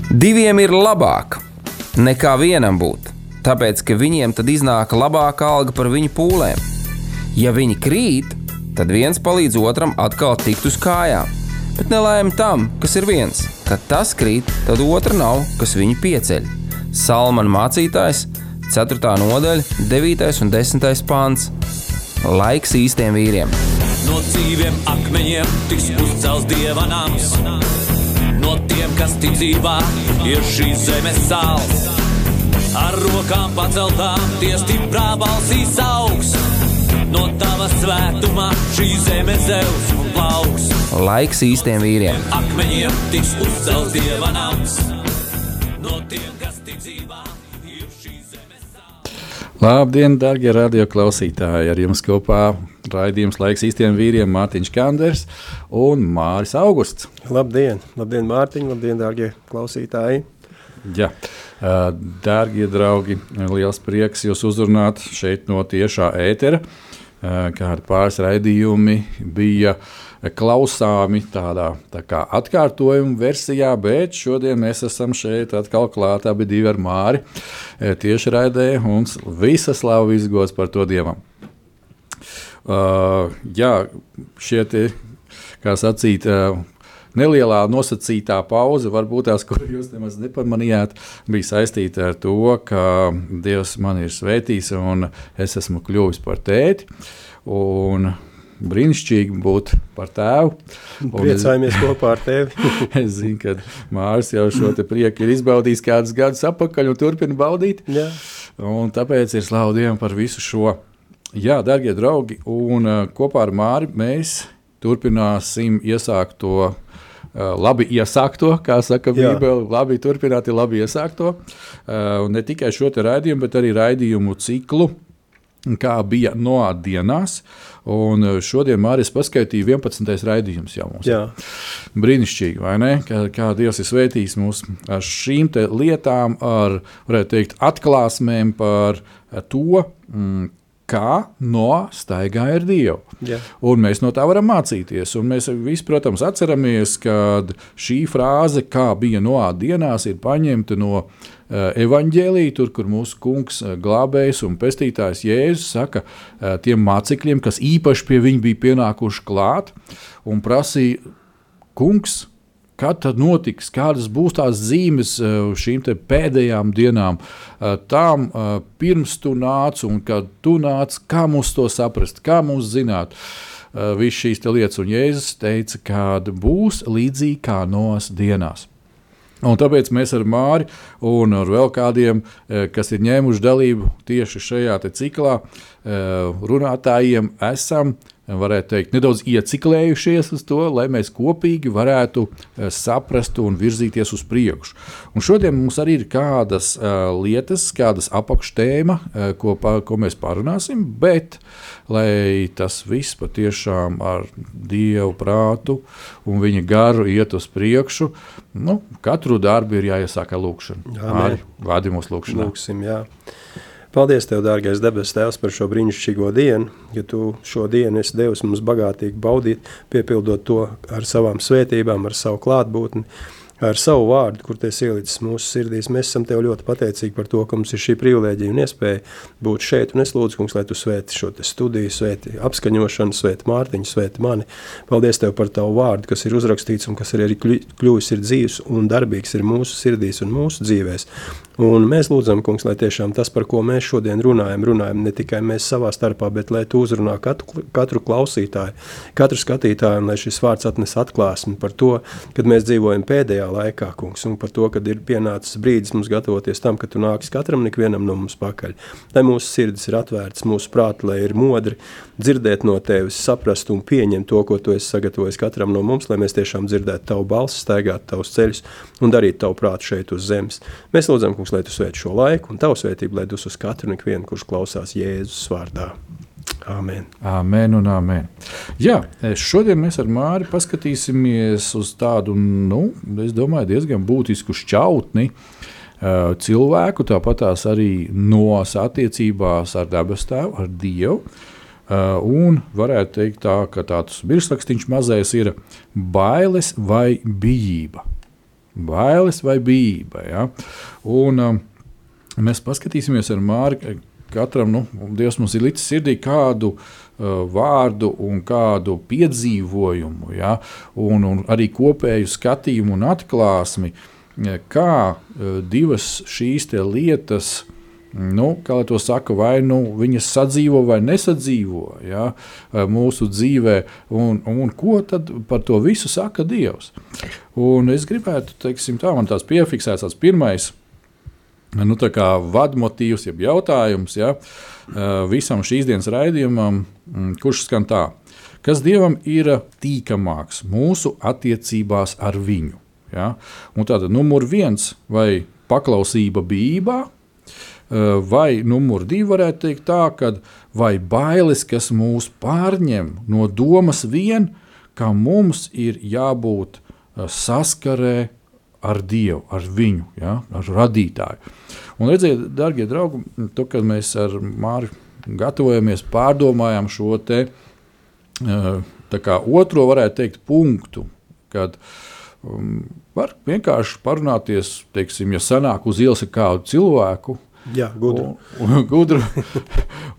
Diviem ir labāk nekā vienam būt, tāpēc, ka viņiem tad iznāk labāka alga par viņu pūlēm. Ja viņi krīt, tad viens palīdz otram atkal tikt uz kājām. Bet nelaime tam, kas ir viens. Kad tas krīt, tad otra nav, kas viņu pieceļ. Salmana mācītājs, 4. nodaļa, 9. un 10. pants. Laiks īstiem vīriem. No dzīviem akmeņiem tiks uzcelts Dieva nams. No tiem, kas ticībā ir šīs zemes sāls. Ar rokām paceltām tie stiprā balsīs augs. No tava svētumā šī zeme zeus un plauks. Laiks īstiem vīriem. Akmeņiem tiks uzcelts Dieva nams. No tiem, kas ticībā ir šīs zemes sāls. Labdien, darbie radio klausītāji! Ar jums kopā raidījums Laiks īstiem vīriem Mārtiņš Kanders un Māris Augusts. Labdien, Mārtiņ, labdien, dārgie klausītāji! Jā, dārgie draugi, liels prieks jūs uzrunāt šeit no tiešā ētera. Kādi pāris raidījumi bija klausāmi tādā tā kā atkārtojuma versijā, bet šodien mēs esam šeit atkal klāt abi divi ar Māri tieši raidē un visa slava izgods par to Dievam. Jā, šie te, kā sacīt, nelielā nosacītā pauze, varbūt tās, kur jūs nemaz nepamanījāt, bija saistīta ar to, ka Dievs man ir svētījis un es esmu kļuvis par tēti. Un brīnišķīgi būt par tēvu. Priecājamies kopā ar tevi. Es zinu, ka Māris jau šo te prieku ir izbaudījis kādus gadus apakaļ un turpina baudīt. Jā. Un tāpēc ir slavu Dievam par visu šo. Jā, darbie draugi, un kopā ar Māri mēs turpināsim iesākt to labi iesākto, kā saka Bībele, labi turpināt ir labi iesākto. Un ne tikai šo te raidījumu, bet arī raidījumu ciklu, kā bija Noā dienās. Un šodien Māris paskaitīja 11. raidījums jau mums. Jā. Brīnišķīgi, vai ne? Kā Dievs ir svētījis mūs ar šīm te lietām, ar, varētu teikt, atklāsmēm par to, kā Noā staigāja ar Dievu. Jā. Un mēs no tā varam mācīties. Un mēs visi, protams, atceramies, ka šī frāze, kā bija Noā dienās, ir paņemta no evaņģēlija, tur, kur mūsu kungs glābējs un pestītājs Jēzus saka tiem mācekļiem, kas īpaši pie viņa bija pienākuši klāt un prasīja, kungs, kad tad notiks, kādas būs tās zīmes šīm te pēdējām dienām, tām pirms tu nāc un kad tu nāc, kā mums to saprast, kā mums zināt visu šīs te lietas. Un Jēzus teica, kad būs līdzīgi kā Noas dienās. Un tāpēc mēs ar Māri un ar vēl kādiem, kas ir ņēmuši dalību tieši šajā te ciklā, runātājiem esam, varētu teikt, nedaudz ieciklējušies uz to, lai mēs kopīgi varētu saprast un virzīties uz priekšu. Un šodien mums arī ir kādas lietas, kādas apakštēma, ko mēs parunāsim, bet, lai tas viss patiešām ar Dievu prātu un viņa garu iet uz priekšu, katru darbu ir jāiesāk ar lūkšanu. Māri, vādi mūs lūkšanā. Lūksim, jā. Paldies Tev, dārgais debes Tēvs, par šo brīnišķīgo dienu, ja Tu šo dienu esi devis mums bagātīgi baudīt, piepildot to ar savām svētībām, ar savu klātbūtni, ar savu vārdu, kur Tiesa ielicis mūsu sirdīs. Mēs esam Tev ļoti pateicīgi par to, ka mums ir šī privilēģija un iespēja būt šeit, un es lūdzu, kungs, lai Tu svēti šo te studiju, svēti apskaņošanu, svēti Mārtiņu, svēti mani. Paldies Tev par Tavu vārdu, kas ir uzrakstīts un kas arī kļuvis ir dzīvs un darbīgs ir mūsu sirdīs un mūsu dzīvēs. Un mēs lūdzam, kungs, lai tiešām tas, par ko mēs šodien runājam ne tikai mēs savā starpā, bet lai Tu uzrunā katru klausītāju, katru skatītāju, un lai šis vārds atnes atklāsmi par to, kad mēs dzīvojam pēdējā laikā, kungs, un par to, kad ir pienācis brīdis mums gatavoties tam, ka Tu nāks katram ikvienam no mums pakaļ. Lai mūsu sirdis ir atvērts, mūsu prāti, lai ir modri dzirdēt no Tevis, saprast un pieņemt to, ko Tu esi sagatavojis katram no mums, lai mēs tiešām dzirdētu Tavu balsi, staigātu Tavus ceļus un darītu Tavu prātu šeit uz zemes. Mēs lūdzam, kungs, lai Tu svēti šo laiku un Tavu svētību, lai dus uz katru un ikvienu, kurš klausās Jēzus vārdā. Āmen. Āmen un āmen. Jā, šodien mēs ar Māri paskatīsimies uz tādu, es domāju, diezgan būtisku šķautni cilvēku, tāpatās arī Noas attiecībās ar dabas tēvu, ar Dievu. Un varētu teikt tā, ka tāds virsrakstīns mazais ir bailes vai bijība. bailes vai bība. Ja? Un mēs paskatīsimies ar Māri, katram, Dievs mums ir licis sirdī kādu vārdu un kādu piedzīvojumu, ja? un arī kopēju skatījumu un atklāsmi, kā divas šīs te lietas, kā lai to saka, vai viņas sadzīvo vai nesadzīvo, ja, mūsu dzīvē, un ko tad par to visu saka Dievs. Un es gribētu, teiksim tā, man tās piefiksēts tāds pirmais, tā kā vadmotīvs, jeb jautājums, ja, visam šīs dienas raidījumam, kurš skan tā, kas Dievam ir tīkamāks mūsu attiecībās ar viņu. Ja? Un tātad numur 1, vai paklausība bībā, vai numur 2 varētu teikt tā, kad vai bailes, kas mūs pārņem no domas vien, ka mums ir jābūt saskarē ar Dievu, ar viņu, ja, ar radītāju. Un redziet, dargie draugi, to, kad mēs ar Māri gatavojamies, pārdomājam šo te tā kā otro, varētu teikt, punktu, kad var vienkārši parunāties, teiksim, ja sanāk uz ielas ar kādu cilvēku, jā, gudru.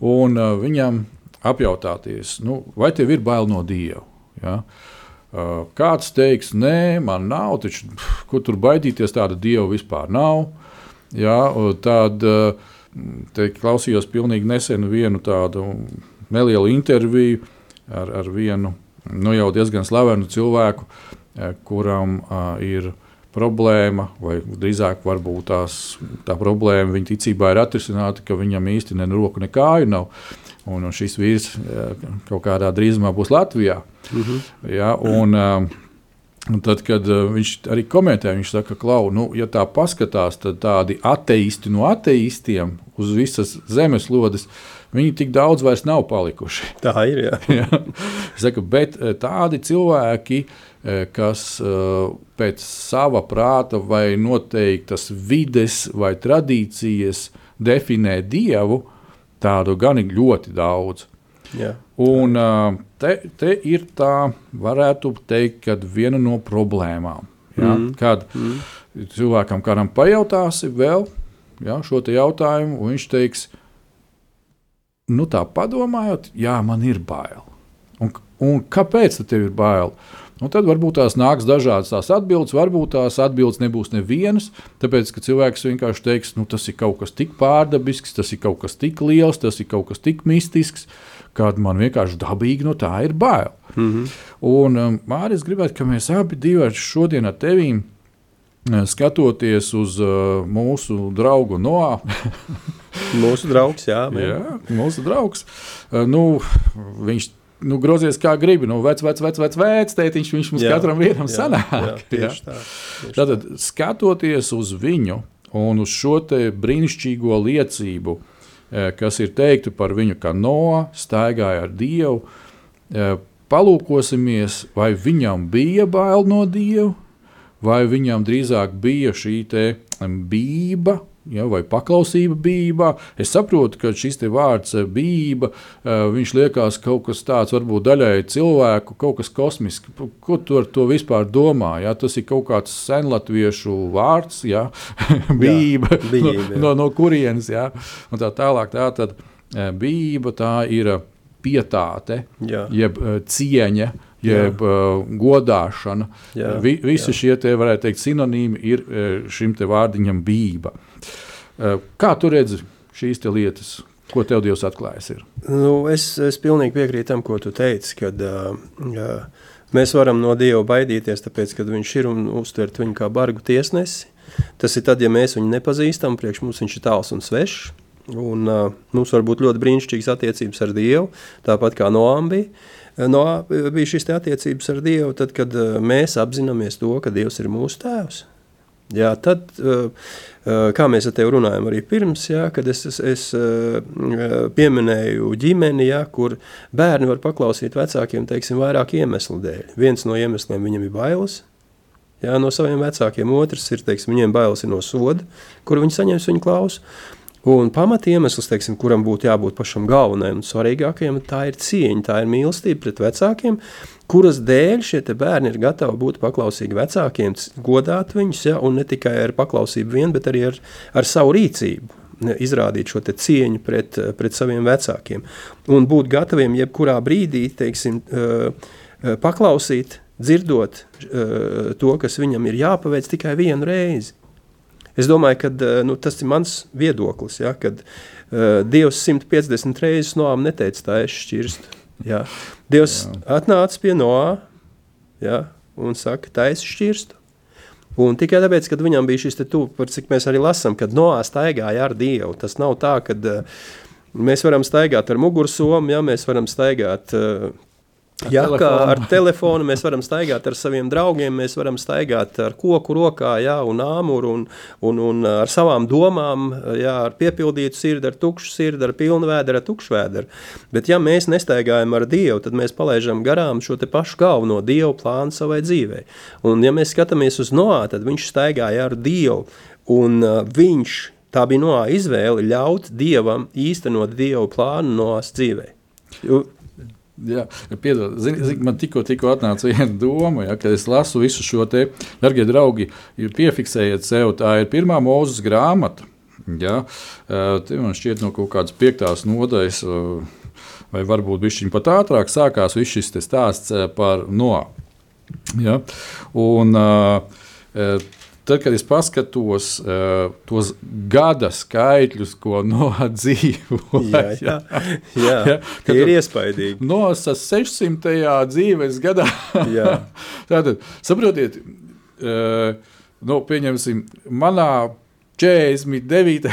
Un viņam apjautāties, vai tev ir bail no Dieva? Ja? Kāds teiks, nē, man nav, taču, kur tur baidīties, tāda Dieva vispār nav. Ja? Tad klausījos pilnīgi nesen vienu tādu nelielu interviju ar vienu jau diezgan slavenu cilvēku, kuram ir problēma, vai drīzāk varbūt tā problēma viņa ticībā ir atrisināta, ka viņam īsti ne roku, ne kāju nav. Un šis vīrs kaut kādā drīzumā būs Latvijā. Ja, un tad, kad viņš arī komentē, viņš saka, Klau, ja tā paskatās, tad tādi ateisti no ateistiem uz visas zemeslodes, viņi tik daudz vairs nav palikuši. Tā ir, jā. Ja, saka, bet tādi cilvēki, kas pēc sava prāta vai noteiktas vides vai tradīcijas definē Dievu, tādu gan ir ļoti daudz. Jā. Un te ir tā, varētu teikt, kad viena no problēmām. Ja? Kad cilvēkam kādam pajautāsi vēl šo te jautājumu, un viņš teiks, tā padomājot, jā, man ir bail. Un kāpēc tev ir bail? Un tad varbūt tās nāks dažādas tās atbildes, varbūt tās atbildes nebūs nevienas, tāpēc, ka cilvēks vienkārši teiks, tas ir kaut kas tik pārdabisks, tas ir kaut kas tik liels, tas ir kaut kas tik mistisks, kad man vienkārši dabīgi no tā ir bail. Un, Māri, es gribētu, ka mēs abi divi šodien ar tevīm, skatoties uz mūsu draugu Noā. Mūsu draugs, jā. Jā, mūsu draugs. Viņš grozies kā gribi, vec, tētiņš, viņš mums katram vienam sanāk. Tieši tā. Tātad, skatoties uz viņu un uz šo te brīnišķīgo liecību, kas ir teikta par viņu, kā Noā staigāja ar Dievu, palūkosimies, vai viņam bija bail no Dievu, vai viņam drīzāk bija šī te bība, vai paklausība bībā. Es saprotu, ka šis te vārds bība, viņš liekas kaut kas tāds, varbūt daļai cilvēku, kaut kas kosmiski. Ko tu ar to vispār domā? Ja? Tas ir kaut kāds senlatviešu vārds, ja? Bība, no kurienes. Ja? Un tā tālāk, tātad bība tā ir pietāte, jeb cieņa, jeb godāšana. Visi šie te, varētu teikt, sinonīmi ir šim te vārdiņam bība. Kā tu redzi šīs te lietas? Ko tev Dievs atklājas ir? Es pilnīgi piekrītu tam, ko tu teici, kad mēs varam no Dieva baidīties, tāpēc, kad viņš ir un uztvert viņu kā bargu tiesnesi. Tas ir tad, ja mēs viņu nepazīstam, priekš mums viņš ir tāls un svešs. Un mums var būt ļoti brīnišķīgas attiecības ar Dievu, tāpat kā Noām bija. Noā bija šīs attiecības ar Dievu, tad, kad mēs apzināmies to, ka Dievs ir mūsu tēvs. Jā, tad, kā mēs ar tevi runājam arī pirms, kad es pieminēju ģimeni, kur bērni var paklausīt vecākiem, teiksim, vairāk iemeslu dēļ. Viens no iemesliem viņam ir bailes, no saviem vecākiem, otrs ir, teiksim, viņiem bailes ir no soda, kur viņi saņems viņu klausu. Un pamatiemesls, teiksim, kuram būtu jābūt pašam galvenajam un svarīgākajam, tā ir cieņa, tā ir mīlestība pret vecākiem, kuras dēļ šie te bērni ir gatavi būt paklausīgi vecākiem, godāt viņus, ja, un ne tikai ar paklausību vien, bet arī ar savu rīcību izrādīt šo te cieņu pret saviem vecākiem. Un būt gataviem jebkurā brīdī, teiksim, paklausīt, dzirdot to, kas viņam ir jāpaveic tikai vienu reizi. Es domāju, ka tas ir mans viedoklis, ja, kad Dievs 150 reizes Noam neteica tā es šķirstu. Ja. Dievs atnāca pie Noā, ja, un saka, tā es šķirstu. Un tikai tāpēc, kad viņam bija šis te par cik mēs arī lasam, kad Noā staigāja ar Dievu. Tas nav tā, kad mēs varam staigāt ar mugursomu, ja, mēs varam staigāt ar telefonu, mēs varam staigāt ar saviem draugiem, mēs varam staigāt ar koku rokā, jā, un āmuru, un ar savām domām, jā, ar piepildītu sirdi, ar tukšu sirdi, ar pilnu vēderu, ar tukšu vēderu. Bet ja mēs nestaigājam ar Dievu, tad mēs palaižam garām šo te pašu galveno Dievu plānu savai dzīvei. Un ja mēs skatāmies uz Noā, tad viņš staigāja ar Dievu, un tā bija Noā izvēle ļaut Dievam īstenot Dievu plānu Noās dzīvei. Jā, piedod, man tikko atnāca viena doma, ja, kad es lasu visu šo te, dargie draugi, piefiksējiet sev, tā ir 1. Mūzes grāmata, ja, te man šķiet no kaut kādas 5. nodaļas, vai varbūt bišķiņ pat ātrāk sākās viss šis te stāsts par Noā. Ja, un tad, kad es paskatos tos gada skaitļus, ko Noā dzīvoja, tie ir iespaidīgi. Noās 600. dzīves gadā. Tātad, saprotiet, pieņemsim, manā 49.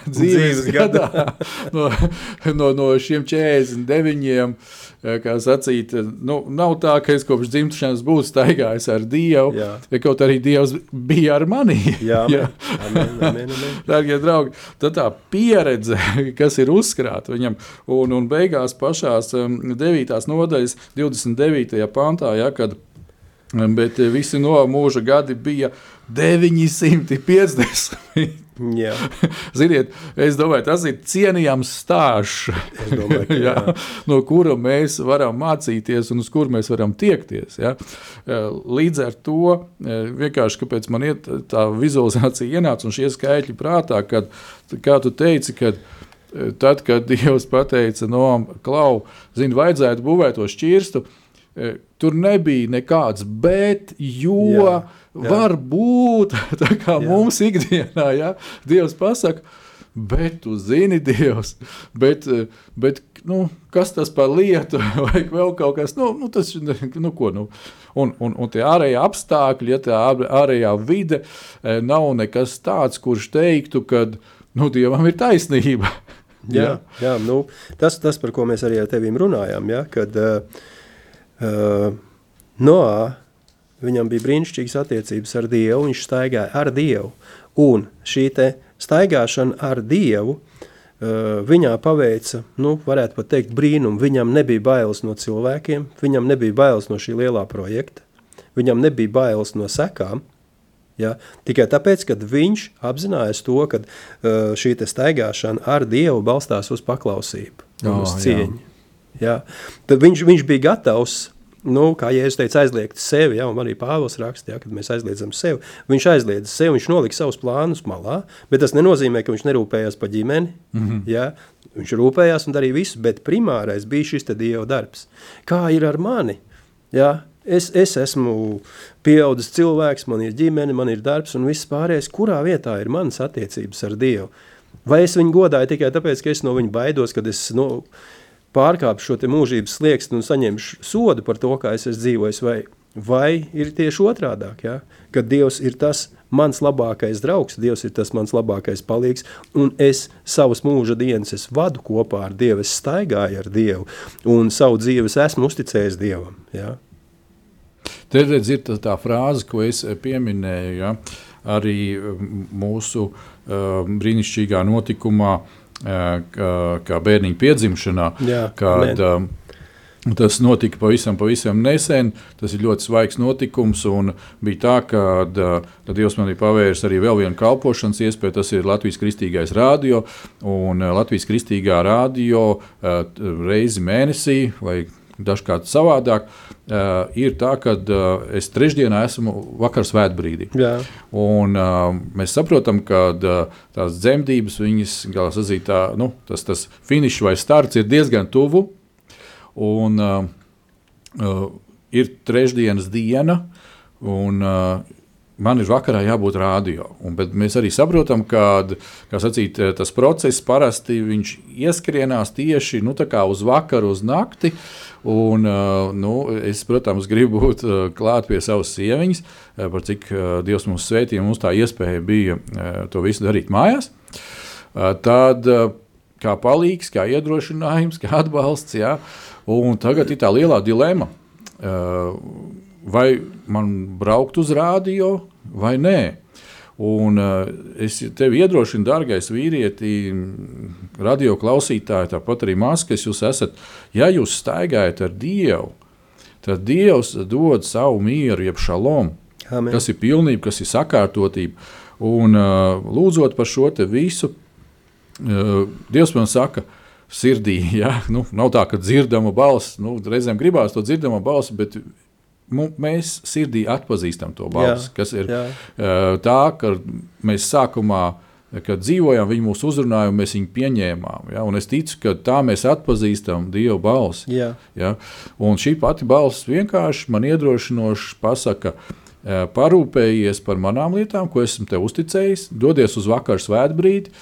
dzīves gadā no šiem 49, kā sacīt, nav tā, ka es kopš dzimšanas būtu staigājis ar Dievu, ja kaut arī Dievs bija ar mani. Amen. Dārgie draugi, tad tā pieredze, kas ir uzkrāta viņam, un beigās pašās 9. nodaļas 29. pantā, ja, kad bet visi no mūža gadi bija 950. Jā. Ziniet, es domāju, tas ir cienījams stāsts, no kura mēs varam mācīties un uz kuru mēs varam tiekties. Ja? Līdz ar to, vienkārši, kāpēc man tā vizualizācija ienāca un šie skaitļi prātā, kad, kā tu teici, kad tad, kad Dievs pateica Noam, Klau, vajadzētu būvēt to šķirstu, tur nebija nekāds bet, jo var būt, tā kā mums ikdienā, ja, Dievs pasaka, bet tu zini, Dievs, bet kas tas par lietu, vai vēl kaut kas, tas, ko. Un tie ārējie apstākļi, ja tā ārējā vide nav nekas tāds, kurš teiktu, kad, Dievam ir taisnība. Jā, tas, par ko mēs arī ar tevīm runājām, ja, kad Noā, viņam bija brīnišķīgas attiecības ar Dievu, viņš staigāja ar Dievu, un šī te staigāšana ar Dievu viņā paveica, varētu pat teikt, brīnumu. Viņam nebija bailes no cilvēkiem, viņam nebija bailes no šī lielā projekta, viņam nebija bailes no sekām, ja? Tikai tāpēc, kad viņš apzinājās to, ka šī te staigāšana ar Dievu balstās uz paklausību, uz cieņu. Ja? Tad viņš bija gatavs, kā Jēzus teica, aizliegt sevi, ja, un arī Pāvils raksta, ja, kad mēs aizliedzam sevi, viņš aizliedza sevi, viņš nolika savus plānus malā, bet tas nenozīmē, ka viņš nerūpējās par ģimeni, ja, viņš rūpējās un darīja visu, bet primārais bija šis te Dieva darbs. Kā ir ar mani? Ja? Es esmu pieaudzis cilvēks, man ir ģimene, man ir darbs un viss pārējais, kurā vietā ir manas attiecības ar Dievu? Vai es viņu godāju tikai tāpēc, ka es no viņa baidos, kad es pārkāpu šo te mūžības slieksni un saņemšu sodu par to, kā es esmu dzīvojis, vai ir tieši otrādāk, ja? Kad Dievs ir tas mans labākais draugs, Dievs ir tas mans labākais palīgs, un es savas mūža dienas vadu kopā ar Dievu, es staigāju ar Dievu, un savu dzīves esmu uzticējis Dievam. Ja? Te redz ir tā frāze, ko es pieminēju, ja? Arī mūsu brīnišķīgā notikumā, kā bērniņa piedzimšanā, kad Tas notika pavisam nesen, tas ir ļoti svaigs notikums, un bija tā, ka Dievs man ir pavērs arī vēl vienu kalpošanas iespēju, tas ir Latvijas Kristīgais radio, un Latvijas Kristīgā radio reizi mēnesī, vai dažkārt savādāk, ir tā, ka es trešdienā esmu vakar svētbrīdī. Jā. Un mēs saprotam, ka tās dzemdības, viņas, kā sacīt, tas finišs vai starts ir diezgan tuvu, un ir trešdienas diena, un man ir vakarā jābūt radio. Bet mēs arī saprotam, ka tas process parasti viņš ieskrienās tieši tā kā uz vakaru, uz nakti. Un, es, protams, gribu būt klāt pie savas sieviņas, par cik Dievs mums svētīja, mums tā iespēja bija to visu darīt mājās. Tad kā palīgs, kā iedrošinājums, kā atbalsts, jā. Un tagad ir tā lielā dilema, vai man braukt uz radio vai nē. Un es tevi iedrošinu, dārgais vīrieti, radio klausītāji, tāpat arī māsas, jūs esat, ja jūs staigājat ar Dievu, tad Dievs dod savu mieru, jeb šalom, Amen. Kas ir pilnība, kas ir sakārtotība. Un lūdzot par šo te visu, Dievs man saka, sirdī, ja? Nav tā, ka dzirdama balss, reizēm gribās to dzirdama balss, bet mēs sirdī atpazīstam to balsi, kas ir tā, ka mēs sākumā, kad dzīvojām, viņi mūs uzrunāja un mēs viņu pieņēmām. Ja? Un es ticu, ka tā mēs atpazīstam Dievu balsi. Ja? Un šī pati balss vienkārši man iedrošinoši pasaka, parūpējies par manām lietām, ko esmu tev uzticējis, dodies uz vakaru svētbrīdi,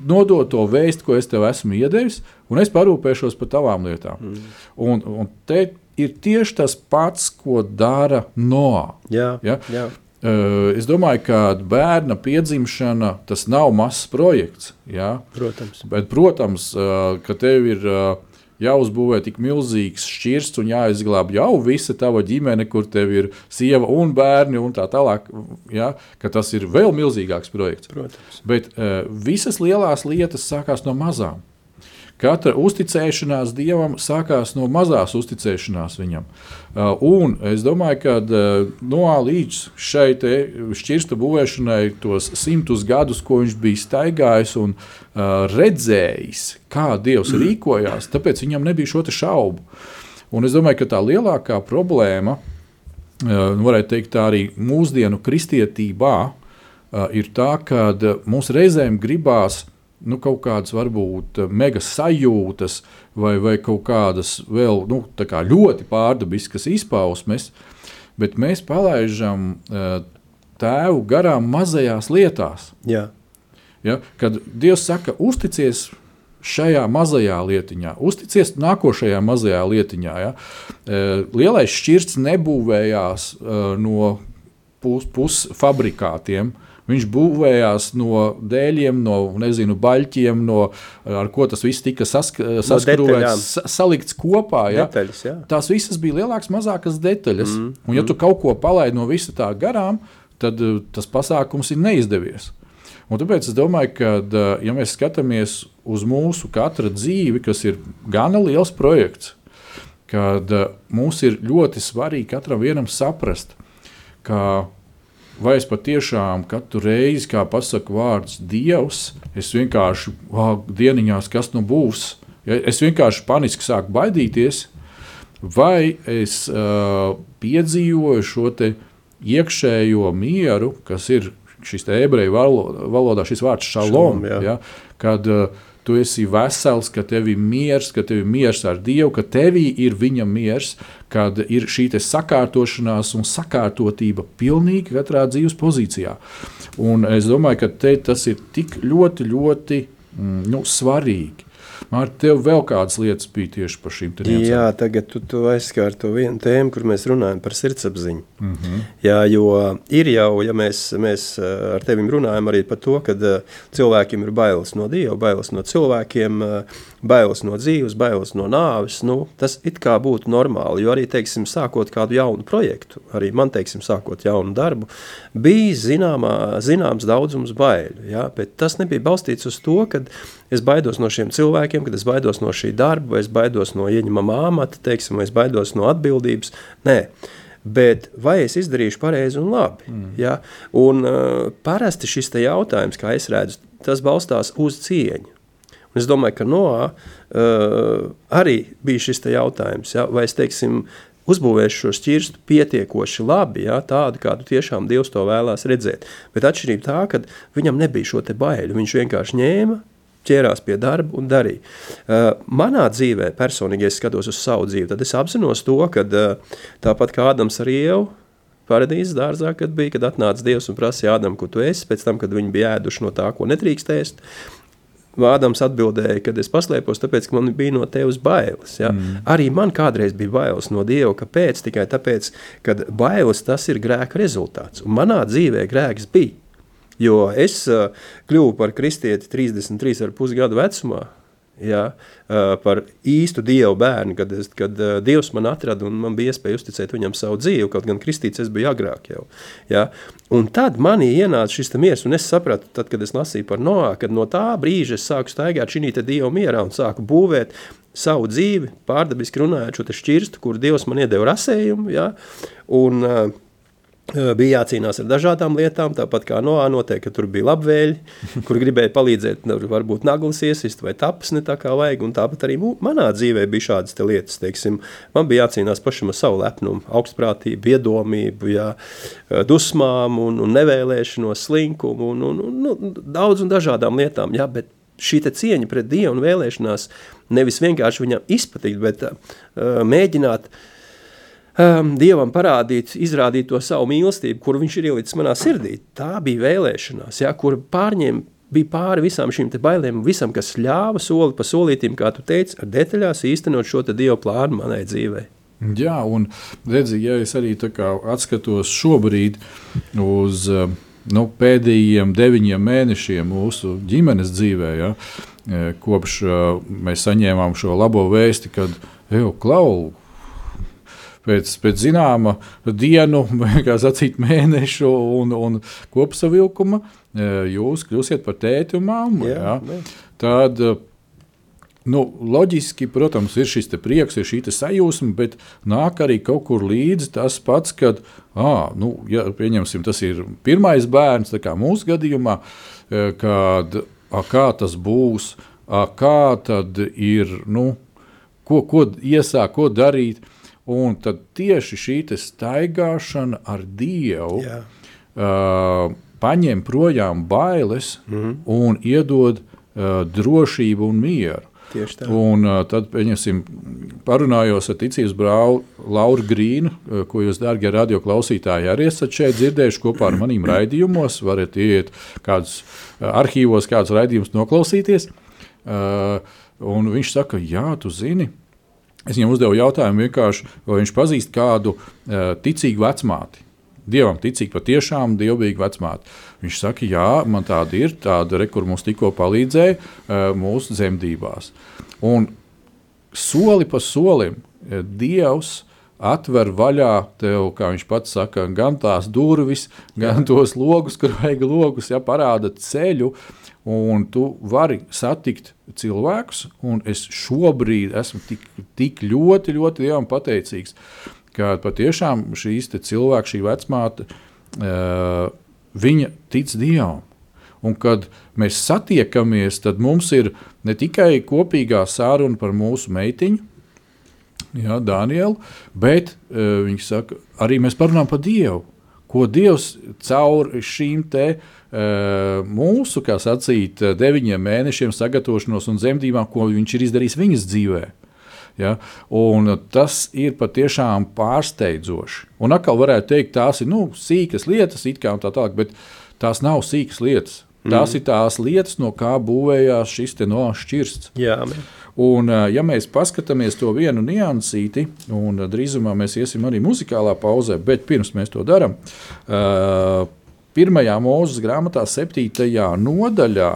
nodot to vēstu, ko es tev esmu iedevis, un es parūpēšos par tavām lietām. Un te ir tieši tas pats, ko dara Noā. Jā. Es domāju, ka bērna piedzimšana, tas nav mazs projekts. Ja? Protams. Bet, protams, ka tev ir jāuzbūvē tik milzīgs šķirsts un jāizglāb jau visa tava ģimene, kur tev ir sieva un bērni un tā tālāk, ja? Ka tas ir vēl milzīgāks projekts. Protams. Bet visas lielās lietas sākās no mazām. Katra uzticēšanās Dievam sākās no mazās uzticēšanās viņam. Un es domāju, ka Noā līdz šai šķirsta būvēšanai tos 100 gadus, ko viņš bija staigājis un redzējis, kā Dievs rīkojās, tāpēc viņam nebija šo te šaubu. Un es domāju, ka tā lielākā problēma, varētu teikt tā arī mūsdienu kristietībā, ir tā, ka mums reizēm gribās kaut kādas varbūt mega sajūtas vai kaut kādas vēl tā kā ļoti pārdabiskas izpausmes, bet mēs palaižam tēvu garām mazajās lietās. Jā. Ja? Kad Dievs saka, uzticies šajā mazajā lietiņā, uzticies nākošajā mazajā lietiņā. Ja? Lielais šķirsts nebūvējās no pusfabrikātiem. Viņš būvējās no dēļiem, no baļķiem, ar ko tas viss tika saskrūvēts, salikts kopā. Ja? Detaļas, jā. Tās visas bija lielākas, mazākas detaļas. Un ja tu kaut ko palaidi no visa tā garām, tad tas pasākums ir neizdevies. Un tāpēc es domāju, ka, ja mēs skatāmies uz mūsu katra dzīvi, kas ir gana liels projekts, kad mums ir ļoti svarīgi katram vienam saprast, ka vai es patiešām katru reizi, kā pasaka vārds Dievs, es vienkārši, dieniņās, kas nu būs, es vienkārši paniski sāku baidīties, vai es piedzīvoju šo te iekšējo mieru, kas ir šis te ebreju valodā, šis vārds šalom, kad tu esi vesels, ka tev ir miers ar Dievu, ka tevī ir viņa miers, kad ir šī te sakārtošanās un sakārtotība pilnīgi katrā dzīves pozīcijā. Un es domāju, ka tas ir tik ļoti, ļoti svarīgi. Māri, tev vēl kādas lietas bija tieši par šīm tēmām? Jā, tagad tu aizskāri to vienu tēmu, kur mēs runājam par sirdsapziņu. Jā, jo ir jau, ja mēs ar tevim runājam arī par to, kad cilvēkiem ir bailes no Dieva, bailes no cilvēkiem, bailes no dzīves, bailes no nāves, tas it kā būtu normāli, jo arī, teiksim, sākot kādu jaunu projektu, arī man, teiksim, sākot jaunu darbu, bija zināms daudzums baiļu, jā, bet tas nebija balstīts uz to, kad es baidos no šiem cilvēkiem, cilvēkiem, kad es baidos no šī darba, vai es baidos no ieņemamā amata, teiksim, vai es baidos no atbildības. Nē. Bet vai es izdarīšu pareizi un labi? Ja? Un parasti šis te jautājums, kā es redzu, tas balstās uz cieņu. Un es domāju, ka Noā arī bija šis te jautājums, ja? Vai es, teiksim, uzbūvēšu šo šķirstu pietiekoši labi, ja? Tādu, kādu tiešām Dievs to vēlās redzēt. Bet atšķirība tā, ka viņam nebija šo te baiļu, viņš vienkārši ņēma, ķērās pie darba un darīja. Manā dzīvē, personīgi, ja es skatos uz savu dzīvi, tad es apzinos to, ka tāpat kā Ādams ar Ievu, paradīzes dārzā, kad atnāca Dievs un prasīja Ādam, ko tu esi, pēc tam, kad viņi bija ēduši no tā, ko nedrīkst ēst, Ādams atbildēja, kad es paslēpos, tāpēc, ka man bija no tevis bailes. Ja? Arī man kādreiz bija bailes no Dieva, kāpēc? Tikai tāpēc, ka bailes tas ir grēka rezultāts. Un manā dzīvē grēks bija. Jo es kļuvu par kristieti 33,5 gadu vecumā, ja, par īstu Dievu bērnu, kad Dievs man atrada un man bija iespēja uzticēt viņam savu dzīvi, kaut gan kristīts es biju agrāk jau. Ja. Un tad manī ienāca šis miers, un es sapratu, tad, kad es lasīju par Noā, kad no tā brīža es sāku staigāt šī te Dieva mierā un sāku būvēt savu dzīvi, pārdabiski runājot šo te šķirstu, kur Dievs man iedeva rasējumu, ja, un bija jācīnās ar dažādām lietām, tāpat kā Noā notiek, ka tur bija labvēļi, kur gribēja palīdzēt, varbūt naglas iesist vai tapas ne tā kā vajag, un tāpat arī manā dzīvē bija šādas te lietas, teiksim, man bija jācīnās pašam ar savu lepnumu, augstprātību, iedomību, jā, dusmām un nevēlēšanos, slinkumu un daudz un dažādām lietām, jā, bet šī te cieņa pret Dievu un vēlēšanās nevis vienkārši viņam izpatikt, bet mēģināt Dievam parādīt, izrādīt to savu mīlestību, kuru viņš ir ielicis manā sirdī. Tā bija vēlēšanās, ja, kur bija pāri visām šīm te bailēm, visam, kas ļāva soli pa solītīm, kā tu teici, ar detaļās īstenot šo te Dieva plānu manai dzīvei. Jā, un redzi, ja es arī tā kā atskatos šobrīd uz pēdējiem 9 mēnešiem mūsu ģimenes dzīvē, ja, kopš mēs saņēmām šo labo vēsti, kad, Klau, pēc zināma dienu, kā sacīt, mēnešu un kopsavilkuma, jūs kļūsiet par tēti un mammu. Jā. Tad, loģiski, protams, ir šis te prieks, ir šī te sajūsma, bet nāk arī kaut kur līdzi tas pats, kad, ja pieņemsim, tas ir pirmais bērns, tā kā mūsu gadījumā, kad, kā tas būs, kā tad ir, ko iesāk, ko darīt. Un tad tieši šī staigāšana ar Dievu paņem projām bailes un iedod drošību un mieru. Tieši tā. Un tad, parunājos ar ticības brāli Lauru Grīnu, ko jūs, dārgie radio klausītāji, arī esat šeit dzirdējuši kopā ar manīm raidījumos, varat iet kādus arhīvos, kādus raidījumus noklausīties. Un viņš saka, jā, tu zini, es viņam uzdevu jautājumu vienkārši, vai viņš pazīst kādu ticīgu vecmāti. Dievam ticīgi patiešām dievbijīgu vecmāti. Viņš saka, jā, man tāda ir, kur mums tikko palīdzēja mūsu dzemdībās. Un soli pa solim Dievs atver vaļā tev, kā viņš pats saka, gan tās durvis, gan tos logus, kur vajag logus, ja, parāda ceļu, un tu vari satikt cilvēkus, un es šobrīd esmu tik ļoti, ļoti Dievam pateicīgs, ka patiešām šīs te cilvēki, šī vecmāte, viņa tic Dievam. Un kad mēs satiekamies, tad mums ir ne tikai kopīgā sāruna par mūsu meitiņu, jā, Danielu, bet viņi saka, arī mēs parunājam par Dievu, ko Dievs caur šīm te mūsu, kā sacīt, 9 mēnešiem sagatavošanos un dzemdībām, ko viņš ir izdarījis viņas dzīvē. Ja? Un tas ir patiešām pārsteidzoši. Un atkal varētu teikt, tās ir sīkas lietas, it kā un tā tālāk, bet tās nav sīkas lietas. Tās ir tās lietas, no kā būvējās šis te šķirsts. Jā. Un, ja mēs paskatāmies to vienu niansīti, un drīzumā mēs iesim arī muzikālā pauzē, bet pirms mēs to darām, 1. Mūzes grāmatā 7. nodaļā,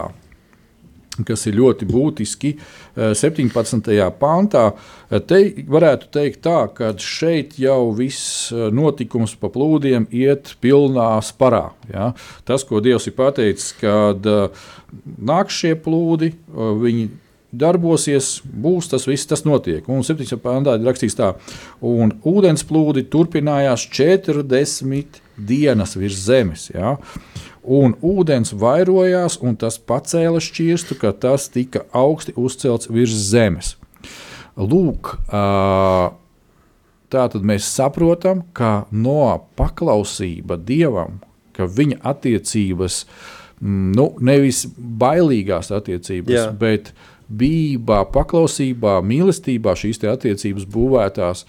kas ir ļoti būtiski, 17. pantā, te varētu teikt tā, ka šeit jau viss notikums pa plūdiem iet pilnā sparā. Ja? Tas, ko Dievs ir pateicis, kad nāk šie plūdi, viņi darbosies, būs tas viss, tas notiek. Un 7. pantā ir rakstīts tā, un ūdensplūdi turpinājās 40 dienas virs zemes, ja? Un ūdens vairojās, un tas pacēla šķirstu, ka tas tika augsti uzcelts virs zemes. Lūk, tātad mēs saprotam, ka no paklausība Dievam, ka viņa attiecības, nevis bailīgās attiecības, bet bībā, paklausībā, mīlestībā šīs te attiecības būvētās,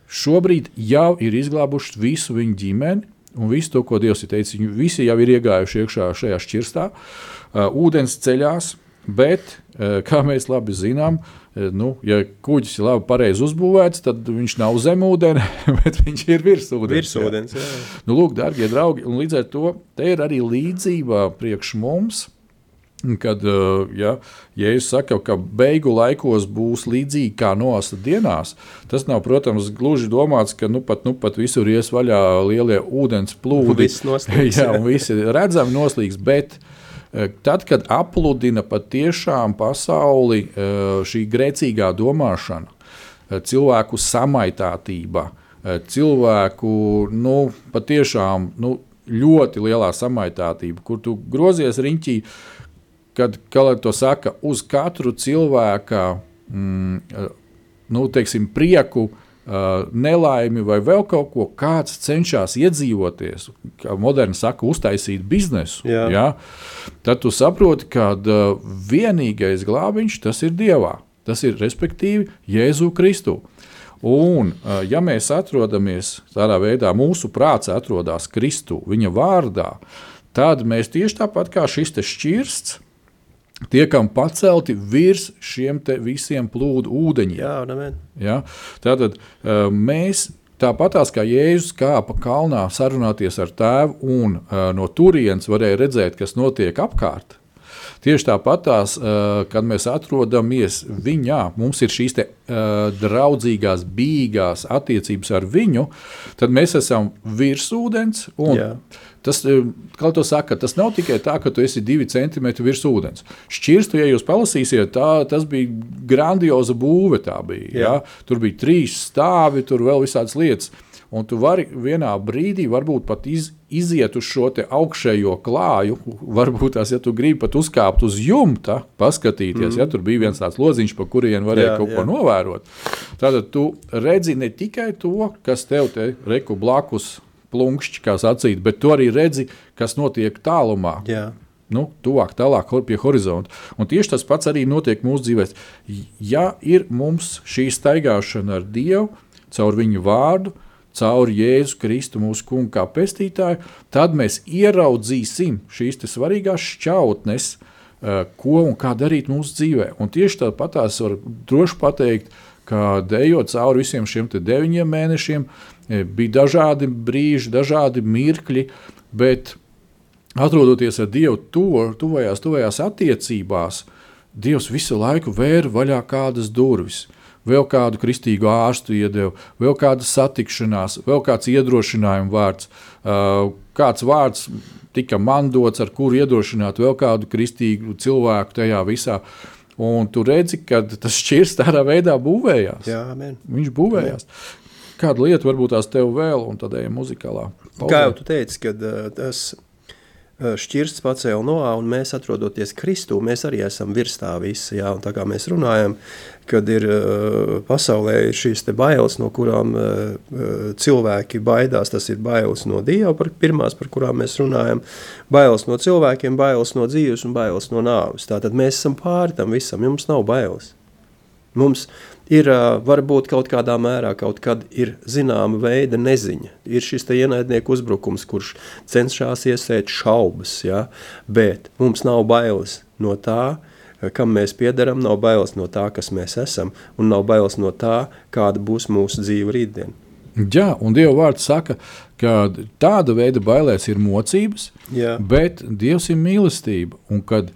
šobrīd jau ir izglābuši visu viņu ģimeni un visu to, ko Dievs ir teicis. Viņi visi jau ir iegājuši iekšā šajā šķirstā. Ūdens ceļās, bet, kā mēs labi zinām, ja kuģis ir labi pareizi uzbūvēts, tad viņš nav zem ūdeni, bet viņš ir virs ūdens. Lūk, dārgie draugi, un līdz ar to te ir arī līdzība priekš mums, kad Jēzus saka, ka beigu laikos būs līdzīgi kā Noasa dienās. Tas nav, protams, gluži domāts, ka nu pat visur ies vaļā lielie ūdens plūdi. Un visi redzami noslīgs, bet tad, kad apludina patiešām pasauli šī grēcīgā domāšana, cilvēku samaitātība, cilvēku patiešām ļoti lielā samaitātība, kur tu grozies riņķī, kad to saka, uz katru cilvēka prieku, nelaimi vai vēl kaut ko, kāds cenšas iedzīvoties, kā moderni saka, uztaisīt biznesu, tad tu saproti, ka vienīgais glābiņš tas ir Dievā. Tas ir respektīvi Jēzu Kristu. Un, ja mēs atrodamies tādā veidā, mūsu prāts atrodas Kristu, viņa vārdā, tad mēs tieši tāpat kā šis te šķirsts, tiekam pacelti virs šiem te visiem plūdu ūdeņiem. Tātad mēs tāpatās kā Jēzus kāpa kalnā sarunāties ar Tēvu un no turienes varēja redzēt, kas notiek apkārt. Tieši tāpatās, kad mēs atrodamies viņā, mums ir šīs te draudzīgās, bīgās attiecības ar viņu, tad mēs esam virs ūdens un tas, kā to saka, tas nav tikai tā, ka tu esi 2 centimetri virs ūdens. Šķirstu, ja jūs palasīsiet, tas bija grandioza būve tā bija. Tur bija 3 stāvi, tur vēl visādas lietas. Un tu vari vienā brīdī varbūt pat iziet uz šo te augšējo klāju, varbūt tās, ja tu gribi pat uzkāpt uz jumta, paskatīties, ja tur bija viens tāds lodziņš, pa kurien varēja kaut ko novērot. Tātad tu redzi ne tikai to, kas tev te reku blakus plunkšķi, kā sacīt, bet tu arī redzi, kas notiek tālumā. Tuvāk, tālāk pie horizonta. Un tieši tas pats arī notiek mūsu dzīvēs. Ja ir mums šī staigāšana ar Dievu, caur viņu vārdu, caur Jēzu Kristu mūsu kungu kā pestītāju, tad mēs ieraudzīsim šīs te svarīgās šķautnes, ko un kā darīt mūsu dzīvē. Un tieši tāpatās var droši pateikt, ka ejot cauri visiem šiem te 9 mēnešiem, bija dažādi brīži, dažādi mirkļi, bet atrodoties ar Dievu tuvajās attiecībās, Dievs visu laiku vēra vaļā kādas durvis. Vēl kādu kristīgu ārstu iedeva, vēl kāda satikšanās, vēl kāds iedrošinājuma vārds, kāds vārds tika man dots, ar kuru iedrošināt vēl kādu kristīgu cilvēku tajā visā. Un tu redzi, ka tas šķirsts tādā veidā būvējās. Viņš būvējās. Kāda lieta varbūt tās tev vēl, un tad ejam muzikālā pauzē. Kā jau tu teici, kad tas šķirsts pacēla Noā, un mēs atrodoties Kristū, mēs arī esam virs tā visa, un tā kā mēs runājam, kad ir pasaulē šīs te bailes, no kurām cilvēki baidās, tas ir bailes no Dieva, pirmās, par kurām mēs runājam, bailes no cilvēkiem, bailes no dzīves un bailes no nāves. Tātad mēs esam pāri tam visam, jums nav bailes. Mums ir varbūt kaut kādā mērā, kaut kad ir zināma veida neziņa. Ir šis te ienaidnieku uzbrukums, kurš cenšas iesēt šaubas, bet mums nav bailes no tā, kam mēs piederam, nav bailes no tā, kas mēs esam, un nav bailes no tā, kāda būs mūsu dzīve rītdien. Jā, un Dieva vārds saka, ka tāda veida bailēs ir mocības, bet Dievs ir mīlestība, un kad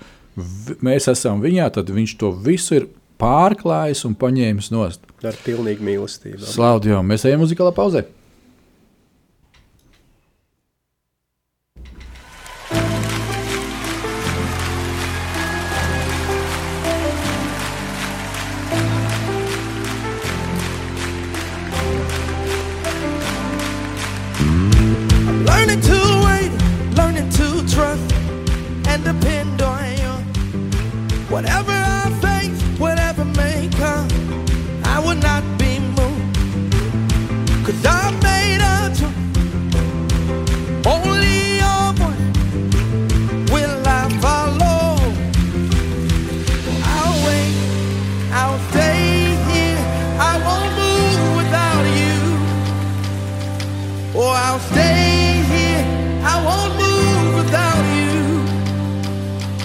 mēs esam viņā, tad viņš to visu ir pārklājis un paņēmis nost. Ar pilnīgu mīlestību. Slavu Dievam, mēs ejam muzikālā pauzē. Learning to wait, learning to trust, and depend on you. Whatever I face, whatever may come, I will not be moved. 'Cause I made a choice. Only your voice will I follow. I'll wait, I'll stay here. I won't move without you. Or I'll stay here. I won't move without you.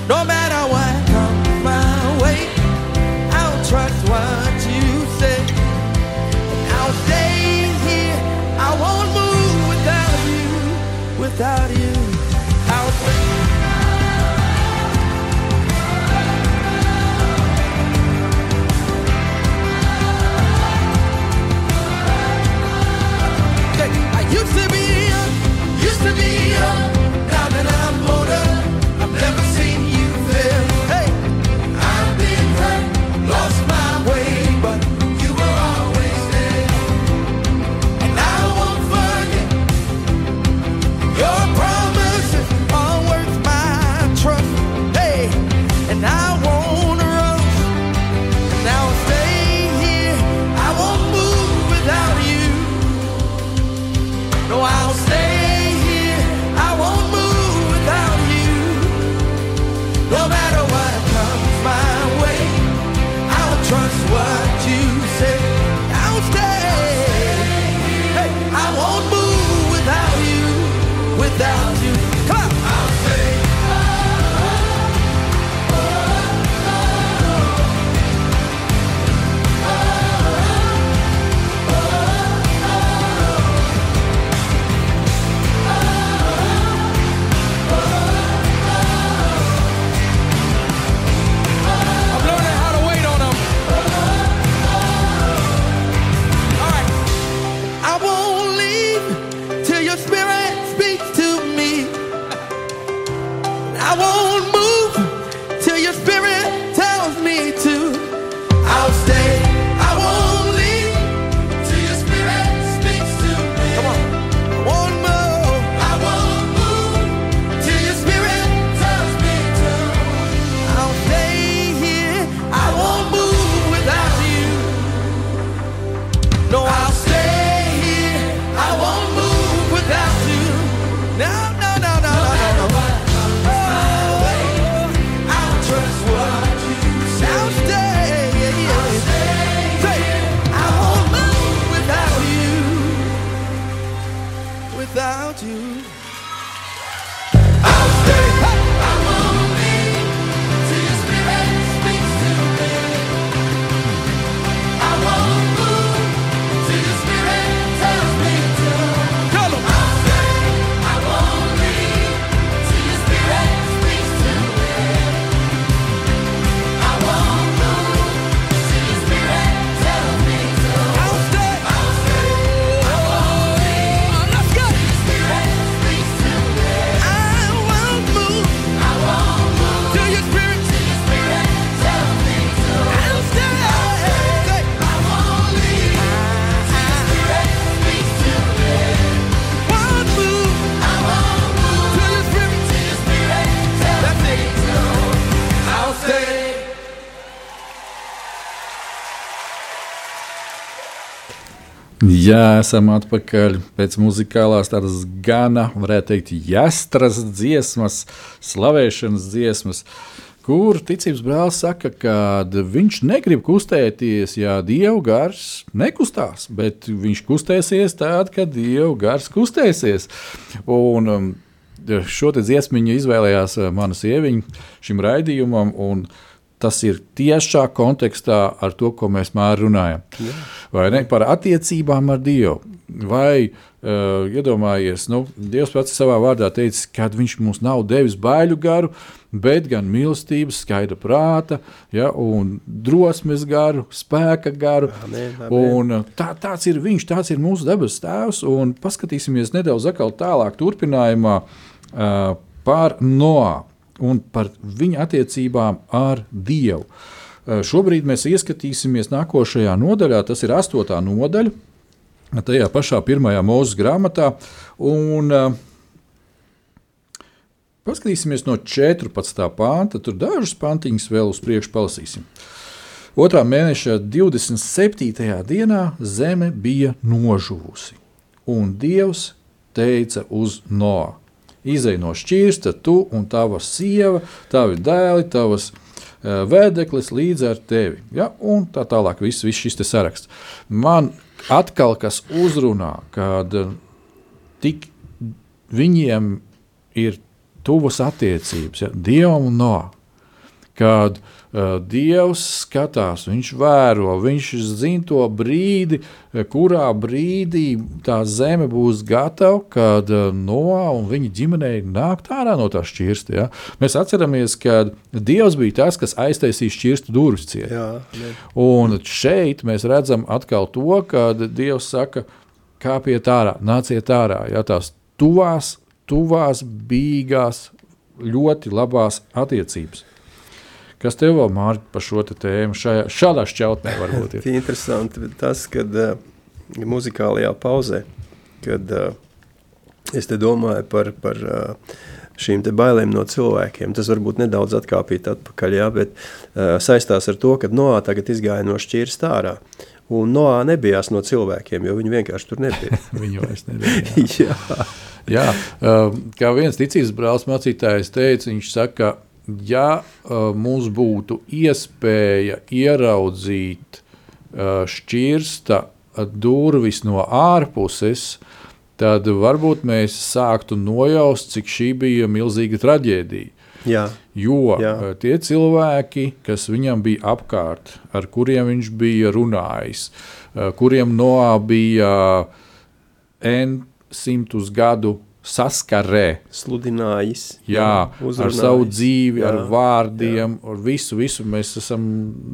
No matter what comes my way, I'll trust what you say. I'll stay here. I won't move without you. Without you, I'll stay. I used to be young, now that I'm older, I've never seen you fail. Hey, I've been hurt, lost my way, but you were always there. And I won't forget your promises are worth my trust. Hey, and I won't rush, and I'll stay here. I won't move without you. No, I'll stay here. I won't move without you. No matter what comes my way, I'll trust what you say. I'll stay. Hey, I won't move without you. Without you. Come on. I'll stay. I'm learning how to wait on them. All right. I won't leave till your spirit speaks to me. I won't move till your spirit tells me to. I'll stay. I won't leave till your spirit speaks to me. Come on. I won't move. I won't move till your spirit tells me to. I'll stay here. I won't move without you. No, I'll stay here. I won't move without you. No, no, no, no, no, no. Oh, I'll trust what you say. I'll stay. Say, I won't move without you. Without you. I'll stay. I won't leave till your spirit speaks to me. I won't move till your spirit tells me to. Tell 'em. I'll stay. I won't leave till your spirit speaks to me. I won't move till your spirit tells me to. I'll stay. I'll stay. I won't leave. Let's go. Till your spirit speaks to me. I won't move. I won't move till your spirit tells me to. I'll stay. I won't leave till your spirit speaks to me. Won't move. I won't move till your spirit tells me to. I'll stay. Jā, esam atpakaļ pēc muzikālās tādas gana, varētu teikt, jāstras dziesmas, slavēšanas dziesmas, kur ticības brālis saka, ka viņš negrib kustēties, ja Dieva gars nekustās, bet viņš kustēsies tad, kad Dieva gars kustēsies. Un šo te dziesmiņu izvēlējās mana sieviņa šim raidījumam, un tas ir tiešā kontekstā ar to, ko mēs mēr runājam. Vai ne? Par attiecībām ar Dievu. Vai iedomājies, Dievs pats savā vārdā teica, ka viņš mums nav devis baiļu garu, bet gan mīlestības, skaidra prāta, un drosmes garu, spēka garu. Amen, amen. Un tāds ir viņš, tāds ir mūsu debes tēvs. Un paskatīsimies nedaudz atkal tālāk turpinājumā par Noā un par viņa attiecībām ar Dievu. Šobrīd mēs ieskatīsimies nākošajā nodaļā, tas ir 8. nodaļa, tajā pašā 1. Mūzes grāmatā, un Paskatīsimies no 14. pānta, tur dažus pantiņus vēl uz priekšu palasīsim. 2. mēneša 27. dienā zeme bija nožuvusi, un Dievs teica uz Noā: izej no šķirsta tu un tava sieva, tavi dēli, tavas vēdeklis līdz ar tevi. Ja? Un tā tālāk viss šis te saraksts. Man atkal kas uzrunā, kad tik viņiem ir tuvas attiecības, ja? Dievam un Noā. Kad Dievs skatās, viņš vēro, viņš zina to brīdi, kurā brīdī tā zeme būs gatava, kad Noā un viņa ģimenei nāk ārā no tā šķirsta. Ja? Mēs atceramies, ka Dievs bija tas, kas aiztaisīja šķirstu durvis ciet. Un šeit mēs redzam atkal to, kad Dievs saka, kāpiet ārā, nāciet ārā. Ja? Tās tuvās, bīgās, ļoti labās attiecības. Kas tev vēl, Mārķi, par šo tēmu šādā šķautnē varbūt ir? Interesanti tas, kad muzikālajā pauzē, kad es te domāju par šīm te bailēm no cilvēkiem, tas varbūt nedaudz atkāpīt atpakaļ, jā, bet saistās ar to, kad Noā tagad izgāja no šķirsta ārā. Un Noā nebijās no cilvēkiem, jo viņi vienkārši tur nebija. Viņu vairs nebija. Jā, kā viens ticības brālis mācītājs teica, viņš saka, ja mums būtu iespēja ieraudzīt šķirsta durvis no ārpuses, tad varbūt mēs sāktu nojaust, cik šī bija milzīga traģēdija. Jā. Jo tie cilvēki, kas viņam bija apkārt, ar kuriem viņš bija runājis, kuriem Noā bija simtus gadu saskarē, sludinājis, ar savu dzīvi, ar vārdiem, ar visu. Mēs esam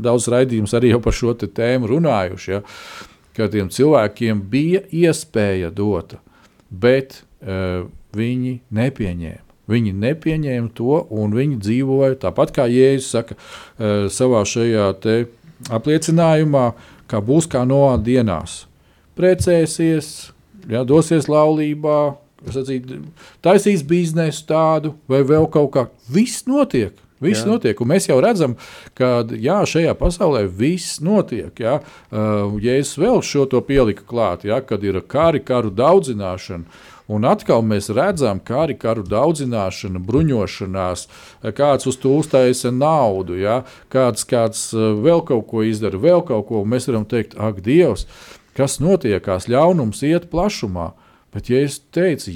daudz raidījumus arī jau par šo tēmu runājuši, ja, ka tiem cilvēkiem bija iespēja dota, bet viņi nepieņēma. Viņi nepieņēma to, un viņi dzīvoja tāpat, kā Jēzus saka savā šajā te apliecinājumā, kā būs kā Noā dienās. Precēsies, dosies laulībā, taisīs biznesu tādu vai vēl kaut kā. Viss notiek. Un mēs jau redzam, ka šajā pasaulē viss notiek. Jēzus vēl šo to pielika klāt, kad ir karu daudzināšana. Un atkal mēs redzam karu daudzināšanu, bruņošanās, kāds uz to uztaisa naudu, kāds vēl kaut ko izdara, vēl kaut ko. Mēs varam teikt, ak, Dievs, kas notiekās, ļaunums iet plašumā. Bet, ja es teicu,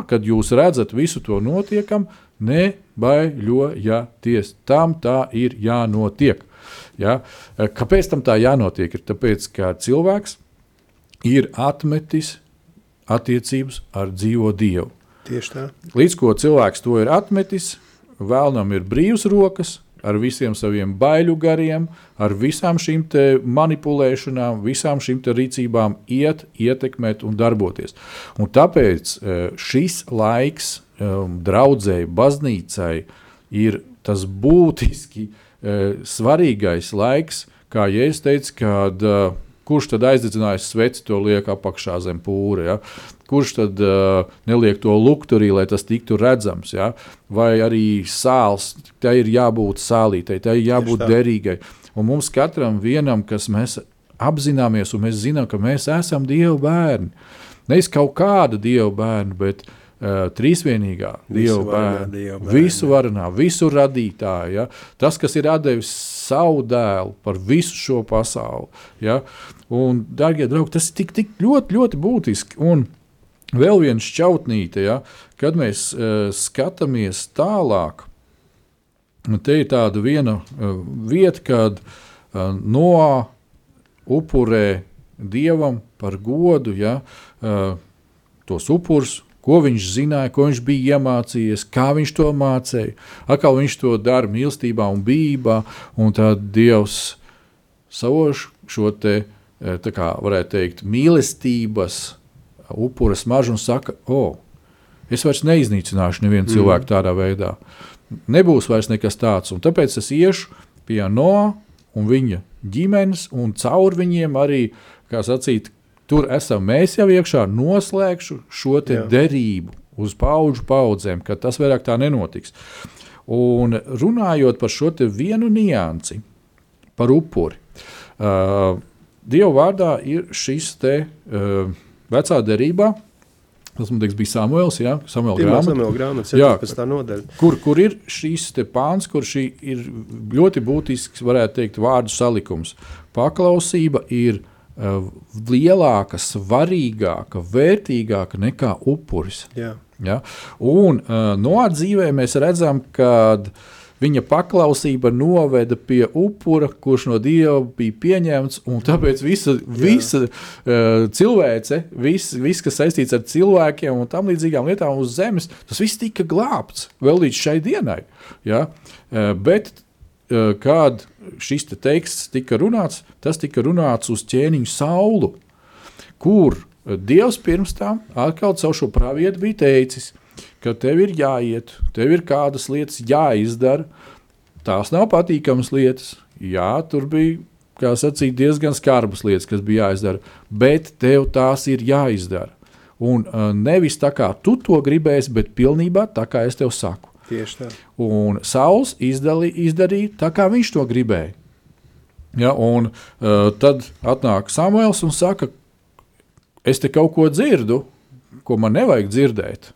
kad jūs redzat visu to notiekam, nebaiļojieties, tam tā ir jānotiek. Ja? Kāpēc tam tā jānotiek? Ir tāpēc, ka cilvēks ir atmetis attiecības ar dzīvo Dievu. Tieši tā. Līdz ko cilvēks to ir atmetis, vēlnam ir brīvs rokas, ar visiem saviem baiļu gariem, ar visām šīm te manipulēšanām, visām šīm te rīcībām ietekmēt un darboties. Un tāpēc šis laiks draudzēji, baznīcai ir tas būtiski svarīgais laiks, kā Jēzus teica, kad kurš tad aizdedzinājis sveci, to liek apakšā zem pūra, ja? Kurš tad neliek to lukturī, lai tas tiktu redzams, ja? Vai arī sāls, tai ir jābūt sālītai, tai ir jābūt derīgai. Un mums katram vienam, kas mēs apzināmies un mēs zinām, ka mēs esam Dieva bērni. Nevis kaut kāda Dieva bērni, bet trīsvienīgā Dieva bērni, visu varenā, visu radītāju. Ja? Tas, kas ir atdevis savu dēlu par visu šo pasauli. Ja? Un, dārgie draugi, tas ir tik ļoti, ļoti būtiski. Un vēl viena šķautnīte, ja? Kad mēs skatāmies tālāk, te ir tāda viena vieta, kad Noā upurē Dievam par godu, ja? Tos upurs, ko viņš zināja, ko viņš bija iemācījies, kā viņš to mācīja. Atkal viņš to dara mīlestībā un bijībā, un tad Dievs savoš šo te, tā kā varētu teikt, mīlestības upura smaržu un saka, es vairs neiznīcināšu nevienu cilvēku tādā veidā. Nebūs vairs nekas tāds, un tāpēc es iešu pie Noā un viņa ģimenes, un caur viņiem arī, kā sacīt, tur esam mēs jau iekšā, noslēgšu šo te derību uz paudžu paudzēm, ka tas vairāk tā nenotiks. Un runājot par šo te vienu niansi, par upuri, Dieva vārdā ir šis te vecā derībā, tas, man liekas, bija Samuels, ja? Samuela grāmata, 17. nodaļa. Kur ir šīs te pāns, kur šī ir ļoti būtisks, varētu teikt, vārdu salikums. Paklausība ir lielāka, svarīgāka, vērtīgāka nekā upuris. Jā. Ja? Un Noā dzīvē mēs redzam, kad viņa paklausība noveda pie upura, kurš no Dieva bija pieņemts, un tāpēc visa cilvēce, viss, kas saistīts ar cilvēkiem un tam līdzīgām lietām uz zemes, tas viss tika glābts vēl līdz šai dienai. Ja? Bet kad šis te teksts tika runāts, tas tika runāts uz ķēniņu Saulu, kur Dievs pirms tam atkal caur šo pravietu bija teicis, ka tev ir jāiet, tev ir kādas lietas jāizdara. Tās nav patīkamas lietas. Jā, tur bija, kā sacīt, diezgan skarbas lietas, kas bija jāizdara, bet tev tās ir jāizdara. Un nevis tā kā tu to gribēsi, bet pilnībā tā kā es tev saku. Tieši tā. Un Sauls izdarīja tā, kā viņš to gribēja. Ja, un tad atnāk Samuels un saka, es te kaut ko dzirdu, ko man nevajag dzirdēt.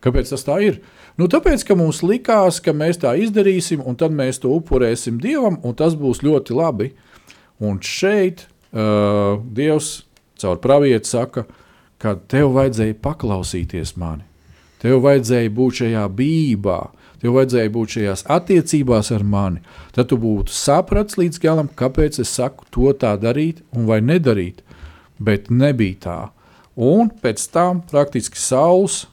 Kāpēc tas tā ir? Nu, tāpēc, ka mums likās, ka mēs tā izdarīsim, un tad mēs to upurēsim Dievam, un tas būs ļoti labi. Un šeit Dievs caur pravietu saka, ka tev vajadzēja paklausīties mani. Tev vajadzēja būt šajā bībā, tev vajadzēja būt šajās attiecībās ar mani. Tad tu būtu saprats līdz galam, kāpēc es saku to tā darīt un vai nedarīt. Bet nebija tā. Un pēc tam praktiski Sauls,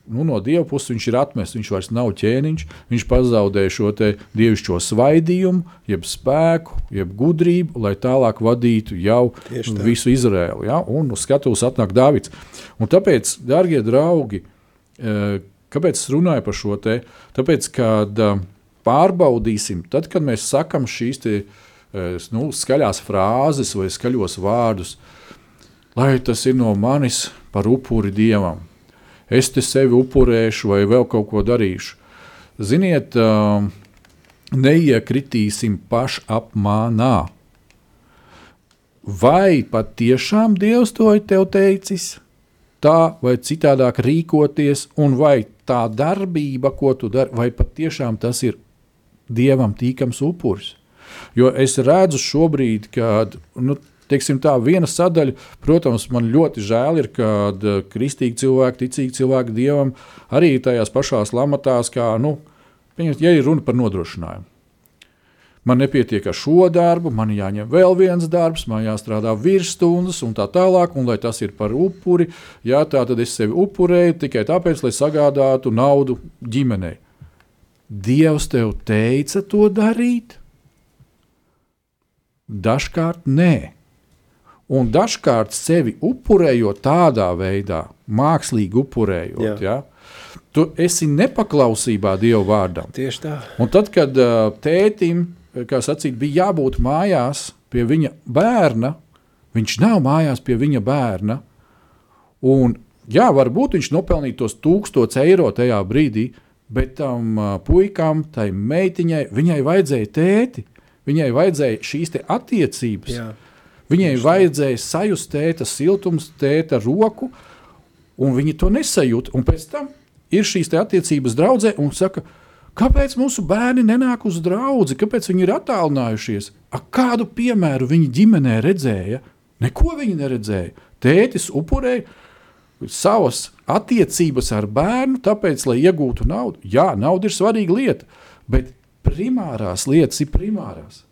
no Dieva puses viņš ir atmests, viņš vairs nav ķēniņš, viņš pazaudēja šo te dievišķo svaidījumu, jeb spēku, jeb gudrību, lai tālāk vadītu jau visu Izraēlu. Ja? Un uz skatuves atnāk Dāvids. Un tāpēc, dārgie draugi, kāpēc es runāju par šo te? Tāpēc, kad pārbaudīsim, tad, kad mēs sakam šīs te, skaļās frāzes vai skaļos vārdus, lai tas ir no manis par upuri Dievam. Es te sevi upurēšu vai vēl kaut ko darīšu. Ziniet, neiekritīsim pašapmānā. Vai pat tiešām Dievs to ir tev teicis? Tā vai citādāk rīkoties, un vai tā darbība, ko tu dari, vai pat tiešām tas ir Dievam tīkams upuris? Jo es redzu šobrīd, kad, teiksim tā, viena sadaļa, protams, man ļoti žēl ir, kad kristīgi cilvēki, ticīgi cilvēki Dievam arī tajās pašās lamatās, kā, ja ir runa par nodrošinājumu. Man nepietiek ar šo darbu, man jāņem vēl viens darbs, man jāstrādā virsstundas un tā tālāk, un lai tas ir par upuri, jā, tā tad es sevi upurēju tikai tāpēc, lai sagādātu naudu ģimenei. Dievs tev teica to darīt? Dažkārt nē. Un dažkārt sevi upurējot tādā veidā, mākslīgi upurējot, ja, tu esi nepaklausībā Dieva vārdam. Tieši tā. Un tad, kad tētim, kā sacīt, bija jābūt mājās pie viņa bērna, viņš nav mājās pie viņa bērna, un jā, varbūt viņš nopelnīja tos 1000 eiro tajā brīdī, bet tam puikam, tai meitiņai, viņai vajadzēja tēti, viņai vajadzēja šīs te attiecības. Jā. Viņai vajadzēja sajust tēta siltums, tēta roku, un viņi to nesajūt. Un pēc tam ir šīs te attiecības draudzē un saka, kāpēc mūsu bērni nenāk uz draudzi, kāpēc viņi ir attālinājušies? Kādu piemēru viņi ģimenē redzēja? Neko viņi neredzēja. Tētis upurēja savas attiecības ar bērnu, tāpēc, lai iegūtu naudu. Jā, nauda ir svarīga lieta, bet primārās lietas ir primārās.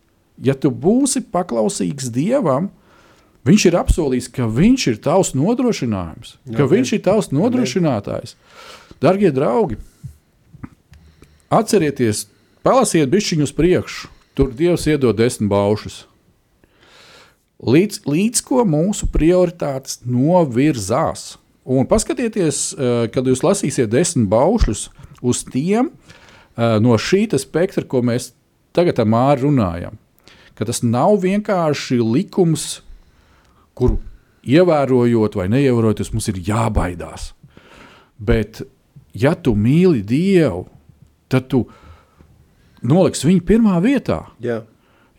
Ja tu būsi paklausīgs Dievam, viņš ir apsolījis, ka viņš ir tavs nodrošinājums, ka viņš ir tavs nodrošinātājs. Dargie draugi, atcerieties, palasiet bišķiņu uz priekšu, tur Dievs iedod 10 baušus. Līdz ko mūsu prioritātes novirzās. Un paskatieties, kad jūs lasīsiet 10 baušļus uz tiem no šīta spektra, ko mēs tagad ar Māri runājam. Ka tas nav vienkārši likums, kuru ievērojot vai neievērojot, mums ir jābaidās. Bet ja tu mīli Dievu, tad tu noliksi viņu pirmā vietā. Jā.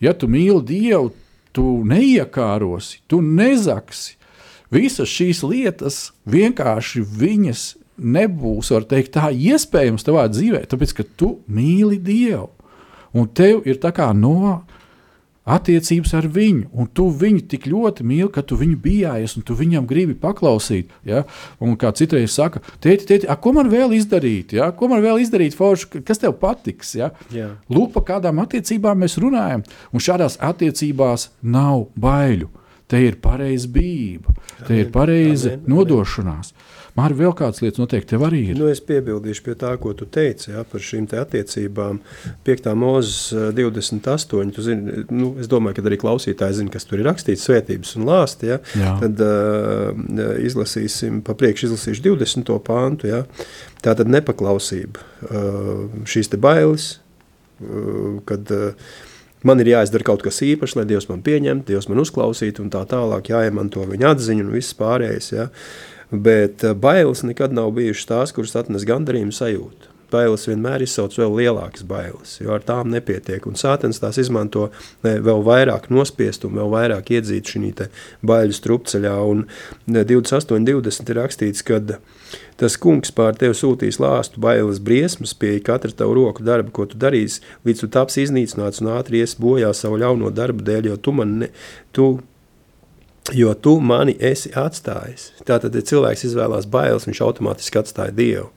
Ja tu mīli Dievu, tu neiekārosi, tu nezaksi. Visas šīs lietas vienkārši viņas nebūs, var teikt, tā iespējams tavā dzīvē, tāpēc, ka tu mīli Dievu. Un tev ir tā kā attiecības ar viņu, un tu viņu tik ļoti mīli, ka tu viņu bijājies, un tu viņam gribi paklausīt. Ja? Un kā citreiz saka, tēti, ko man vēl izdarīt? Ja? Ko man vēl izdarīt, forši, kas tev patiks? Ja? Jā. Lūk, par kādām attiecībām mēs runājam, un šādās attiecībās nav baiļu. Te ir pareiza bība, te ir pareiza nodošanās. Māri, vēl kādas lietas noteikti tev arī ir. Es piebildīšu pie tā, ko tu teici, par šīm te attiecībām. 5. Mūzes 28, tu zini, es domāju, ka arī klausītāji zina, kas tur ir rakstīts, svētības un lāsti, ja? Tad izlasīsim, izlasīšu 20. pāntu, ja? Tātad nepaklausība, šīs te bailes, kad man ir jāizdara kaut kas īpašs, lai Dievs man pieņemtu, Dievs man uzklausītu un tā tālāk, jāiemanto viņa atziņu un viss pārējais, ja? Bet bailes nekad nav bijušas tās, kuras atnes gandarījumu sajūtu. Bailes vienmēr izsauc vēl lielākas bailes, jo ar tām nepietiek. Un Sātens tās izmanto vēl vairāk nospiest un vēl vairāk iedzīt šī te baiļu strupceļā. Un 28.20 ir rakstīts, kad tas kungs pār tevi sūtīs lāstu bailes briesmas pie katra tavu roku darba, ko tu darīsi, līdz tu taps iznīcināts un ātri iesi bojā savu ļauno darbu dēļ, jo tu mani esi atstājis. Tātad, ja cilvēks izvēlās bailes, viņš automātiski atstāja Dievu.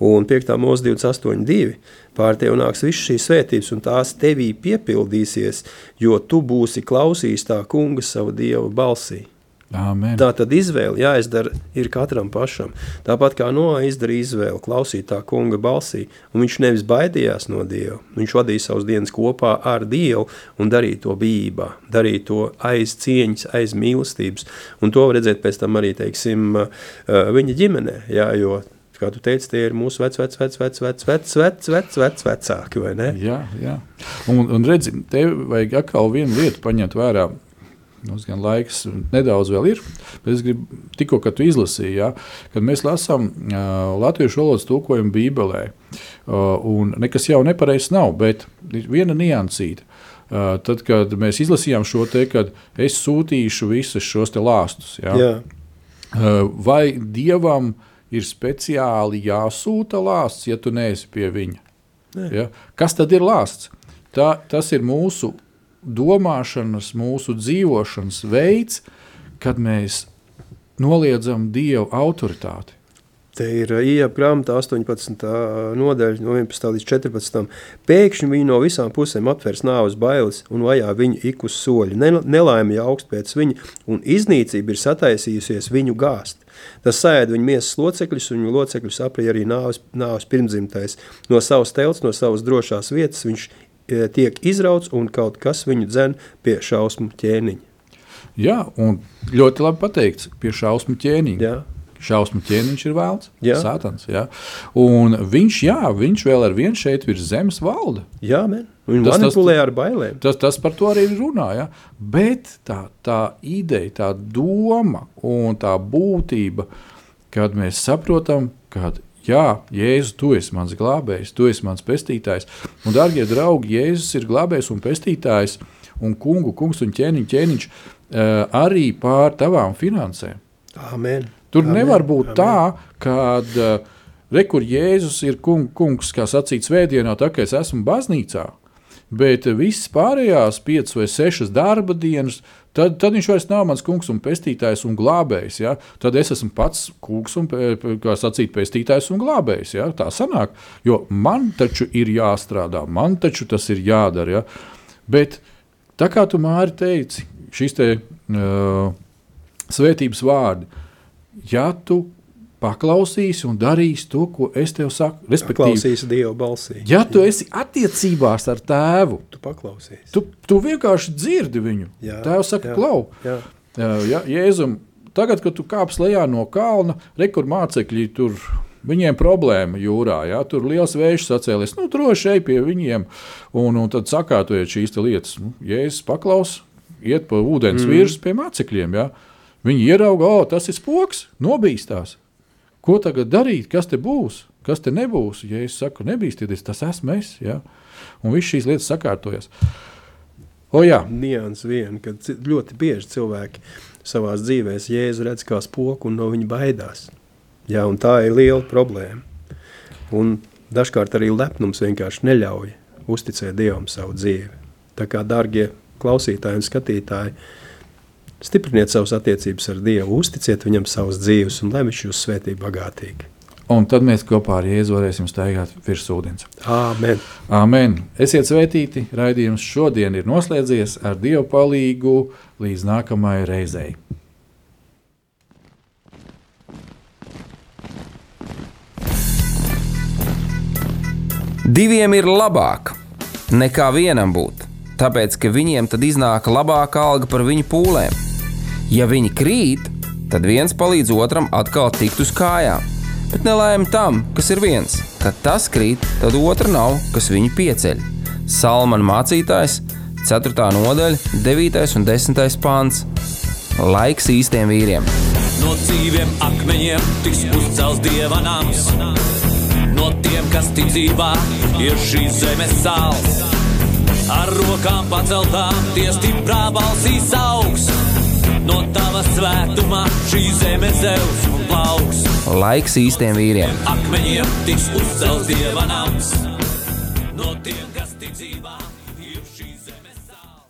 Un 5. Mūzes 28.2 pār tevi nāks viss šīs svētības, un tās tevī piepildīsies, jo tu būsi klausījis tā kunga savu Dievu balsī. Amen. Tātad izvēle jāizdara ir katram pašam. Tāpat kā Noā izdarīja izvēli klausīt tā kunga balsī, un viņš nevis baidījās no Dieva, viņš vadīja savas dienas kopā ar Dievu un darīja to bijībā, darīja to aiz cieņas, aiz mīlestības. Un to var redzēt pēc tam arī, teiksim, viņa ģimenē, jā, jo, kā tu teici, tie ir mūsu vecāki, vai ne? Jā. Un redzi, tev vajag atkal vienu lietu paņemt vērā. Mums gan laiks nedaudz vēl ir, bet es gribu tikko, kad tu izlasīji, ja, kad mēs lasām latviešu valodas tulkojumu Bībelē, un nekas jau nepareizs nav, bet viena niansīta. Tad, kad mēs izlasījām šo te, kad es sūtīšu visus šos te lāstus, ja, vai Dievam ir speciāli jāsūta lāsts, ja tu neesi pie viņa? Ja? Kas tad ir lāsts? Tas ir mūsu domāšanas, mūsu dzīvošanas veids, kad mēs noliedzam Dievu autoritāti. Te ir Ieja grāmatā 18. nodaļa no 11. līdz 14. Pēkšņi viņi no visām pusēm aptvers nāves bailes un vajā viņu ik uz soļu. Nelaime jau augst pēc viņa, un iznīcība ir sataisījusies viņu gāst. Tas saēd viņu miesas locekļus, un viņu locekļus aprij arī nāves pirmdzimtais. No savas telts, no savas drošās vietas viņš tiek izrauts, un kaut kas viņu dzen pie šausmu ķēniņa. Jā, un ļoti labi pateikts, pie šausmu ķēniņa. Jā. Šausmu ķēniņš ir vēlns, Jā. Sātans. Jā. Un viņš vēl ar vienu šeit virs zemes valda. Jā, Viņi manipulē ar bailēm. Tas par to arī runā, ja? Bet tā ideja, tā doma un tā būtība, kad mēs saprotam, kad jā, Jēzus, tu esi mans glābējs, tu esi mans pestītājs. Un, dārgie draugi, Jēzus ir glābējs un pestītājs, un kungs un ķēniņš arī pār tavām finansēm. Amen. Tur nevar būt tā, kad rekur Jēzus ir kungs, kā sacīt svētdienā, tā kā es esmu baznīcā, bet visas pārējās 5 vai 6 darba dienas, tad viņš vairs nav mans kungs un pestītājs un glābējs. Ja? Tad es esmu pats kungs un, kā sacīt, pestītājs un glābējs. Ja? Tā sanāk, jo man taču ir jāstrādā, man taču tas ir jādara. Ja? Bet tā kā tu, Māri, teici, šis te svētības vārdi, ja tu paklausīsi un darīsi to, ko es tev saku, respektīvi, paklausīsi Dieva balsī. Ja tu esi attiecībās ar tēvu, Tu paklausīsi. tu vienkārši dzirdi viņu. Jā, Tēvs saka, jā, klau, jā. Jēzum, tagad, kad tu kāps lejā no kalna, rekur mācekļi tur, viņiem problēma jūrā, ja? Tur liels vējš sacēlies, droši ej pie viņiem, un tad sakārtojiet šīs te lietas. Jēzus paklaus, iet pa ūdens virs pie mācekļiem, ja? Viņi ierauga, tas ir spoks, nobīstās. Ko tagad darīt, kas te būs? kas te nebūs? Ja es saku, nebīsties, tas esmu es. Ja? Un viss šīs lietas sakārtojas. Jā. Nians vien, kad ļoti bieži cilvēki savās dzīvēs Jēzu redz kā spoku un no viņa baidās. Jā, un tā ir liela problēma. Un dažkārt arī lepnums vienkārši neļauj uzticēt Dievam savu dzīvi. Tā kā, dārgie klausītāji un skatītāji, stipriniet savas attiecības ar Dievu, uzticiet viņam savas dzīves un lai viņš jūs svētī bagātīgi. Un tad mēs kopā ar Jēzu varēsim staigāt virs ūdens. Āmen. Āmen. Esiet svētīti, raidījums šodien ir noslēdzies ar Dieva palīgu līdz nākamajai reizei. Diviem ir labāk nekā vienam būt, tāpēc, ka viņiem tad iznāk labāka alga par viņu pūlēm. Ja viņi krīt, tad viens palīdz otram atkal tikt uz kājām, bet nelaime tam, kas ir viens. Kad tas krīt, tad otra nav, kas viņu pieceļ. Salmana mācītājs, 4. nodaļa, 9. un 10. pants. Laiks īstiem vīriem. No dzīviem akmeņiem tiks uzcelts Dieva nams. No tiem, kas ticībā ir šīs zemes sāls. Ar rokām paceltām tie stiprā balsīs augs. No tava svētumā šī zeme zeus un plauks. Laiks īstiem vīriem. Akmeņiem tiks uzcelts Dieva nams. No tiem, kas ticībā